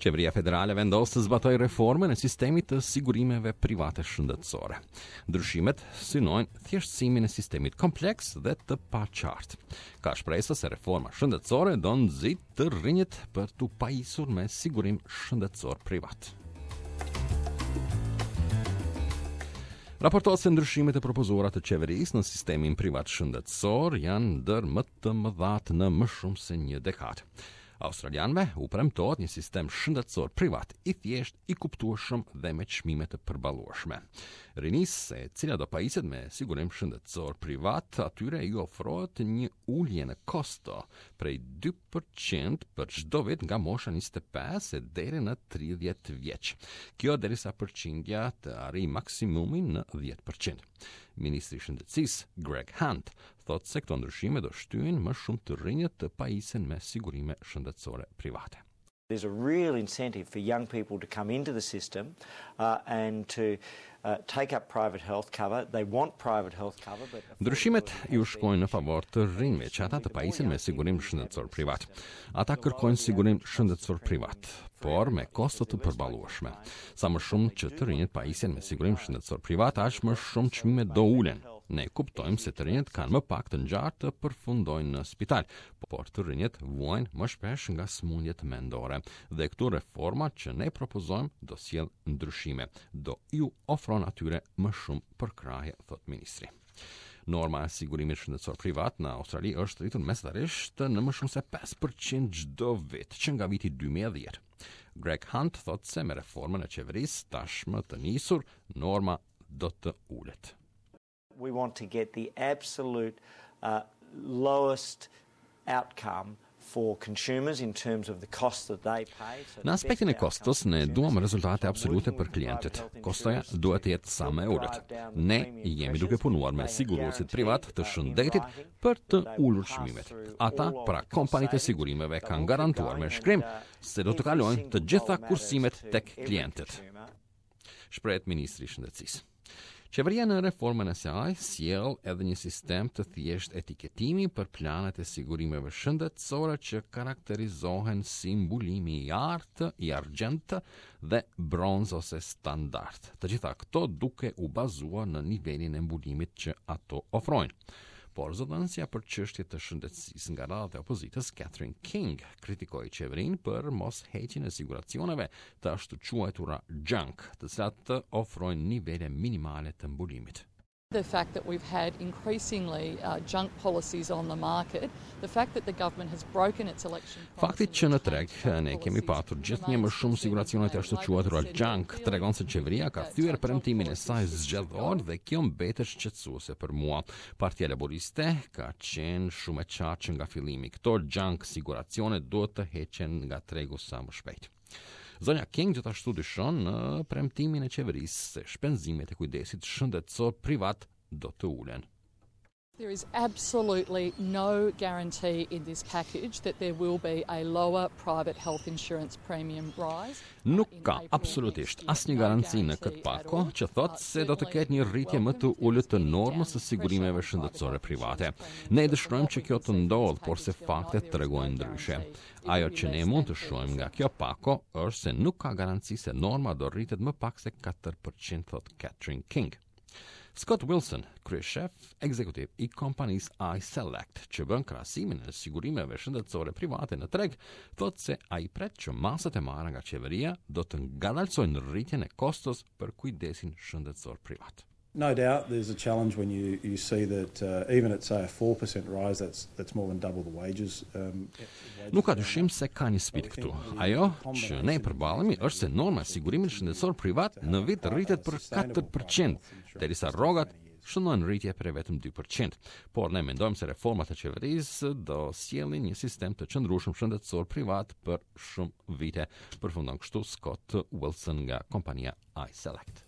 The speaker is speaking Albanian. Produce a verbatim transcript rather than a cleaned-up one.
Qeveria federale vendos të zbatojë reformën e sistemit të sigurimeve private shëndetësore. Ndryshimet synojnë thjeshtësimin e sistemit kompleks dhe të paqartë. Ka shpresa se reforma shëndetësore do nxitë të rinjët për t'u pajisur me sigurim shëndetësor privat. Raportohet se ndryshimet e propozuara të qeverisë në sistemin privat shëndetësor janë ndër më të mëdhat në më shumë se një dekadë. Australianëve u premtohet një sistem shëndetësor privat i thjeshtë, i kuptueshëm dhe me çmime të përballueshme. Rinisë, e cila do pajiset me sigurim shëndetësor privat, atyre ju ofrohet një ulje në kosto prej dy për qind për çdo vit nga mosha njëzet e pesë e deri në tridhjetë vjeç. Kjo derisa përqindja të arrijë maksimumin në dhjetë për qind. Ministri i Shëndetësisë, Greg Hunt, thotë se këto ndryshime do shtyjnë më shumë të rinjët të pajisen me sigurime shëndetësore private. There's a real incentive for young people to come into the system uh, and to uh, take up private health cover. They want private health cover, but Ndryshimet ju shkojnë në favor të rinjve që ata të pajisen me sigurim shëndetësor privat. Ata kërkojnë sigurim shëndetësor privat, por me kosto të përballueshme. Sa më shumë që të rinjët pajisen me sigurim shëndetësor privat, aq më shumë çmimet do ulen. Ne kuptojmë se të rinjët kanë më pak të ngjarë të përfundojnë në spital, por të rinjët vuajnë më shpesh nga sëmundjet mendore. Dhe këtu reforma që ne propozojmë do sjell ndryshime, do ju ofron atyre më shumë përkrahje, thot ministri. Norma e sigurimit shëndetësor privat në Australi është rritur mesatarisht në më shumë se pesë për qind çdo vit që nga viti dy mijë e dhjetë. Greg Hunt thotë se me reformën e qeverisë tashmë të nisur, norma do të ulet. We want to get the absolute uh, lowest outcome for consumers in terms of the cost that they pay. So Në aspektin e kostos, ne duam rezultate absolute për klientët. Kostoja duhet të jetë sa më e ulët. Ne jemi duke punuar me siguruesit privat të shëndetit për të ulur çmimet. Ata, pra kompanitë e sigurimeve, kanë garantuar me shkrim se do të kalojnë të gjitha kursimet tek klientët. Shprehet ministri i Shëndetësisë. Qeveria në reformën e saj sjell edhe një sistem të thjeshtë etiketimi për planet e sigurimeve shëndetësore që karakterizohen si mbulimi i artë, i argjendtë dhe bronz ose standard. Të gjitha këto duke u bazuar në nivelin e mbulimit që ato ofrojnë. Por zëdhënësja për çështje të shëndetësisë nga radhët e opozitës, Catherine King, kritikoi qeverinë për mos heqjen e siguracioneve të ashtu quajtura junk, të cilat ofrojnë nivele minimale të mbulimit. The fact that we've had increasingly uh, junk policies on the market, the fact that the government has broken its election Fakti që në treg ne kemi patur gjithnjë më shumë siguracione të ashtu quajtura junk tregon se qeveria ka thyer premtimin e saj zgjedhor dhe kjo mbetet shqetësuese për mua. Partia Laboriste ka qenë shumë e qartë që nga fillimi. Këto junk siguracione duhet të heqen nga tregu sa më shpejt. Zonja King gjithashtu dyshon në premtimin e qeverisë se shpenzimet e kujdesit shëndetësor privat do të ulen. There is absolutely no guarantee in this package that there will be a lower private health insurance premium rise. Nuk ka absolutisht asnjë garanci në këtë pako që thotë se do të ketë një rritje më të ulët të normës së sigurimeve shëndetësore private. Ne dëshirojmë që kjo të ndodhë, por se faktet tregojnë ndryshe. Ajo që ne mund të shohim nga kjo pako është se nuk ka garanci se norma do rritet më pak se katër për qind, thot Catherine King. Scott Wilson, kryeshef ekzekutiv i kompanisë iSelect, që bën krahasimin e sigurimeve shëndetësore private në treg, thotë se ai pret që masat e marra nga qeveria do të ngadalësojnë rritjen e kostos për kujdesin shëndetësor privat. No doubt there's a challenge when you, you see that uh, even at, say, a four percent rise, that's that's more than double the wages. Um, Nuk ka dyshim se ka një sfidë këtu. Ajo që ne përballemi është se norma e sigurimit shëndetësor privat në vit rritet për katër për qind, derisa rrogat shënojnë rritje për vetëm dy për qind. Por ne mendojmë se reformat e qeverisë do sjellin një sistem të qëndrueshëm shëndetësor privat për shumë vite. Përfundon kështu Scott Wilson nga kompania iSelect.